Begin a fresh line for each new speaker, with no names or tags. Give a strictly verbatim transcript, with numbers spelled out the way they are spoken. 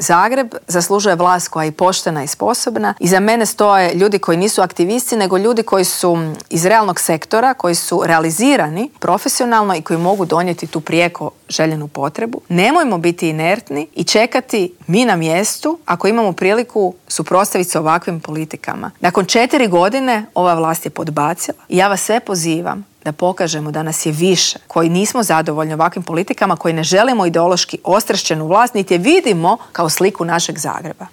Zagreb zaslužuje vlast koja je poštena i sposobna. Iza mene stoje ljudi koji nisu aktivisti, nego ljudi koji su iz realnog sektora, koji su realizirani profesionalno i koji mogu donijeti tu prijeko željenu potrebu. Nemojmo biti inertni i čekati mi na mjestu ako imamo priliku suprotstaviti se ovakvim politikama. Nakon četiri godine ova vlast je podbacila i ja vas sve pozivam da pokažemo da nas je više, koji nismo zadovoljni ovakvim politikama, koji ne želimo ideološki ostrašćenu vlast, niti je vidimo kao sliku našeg Zagreba.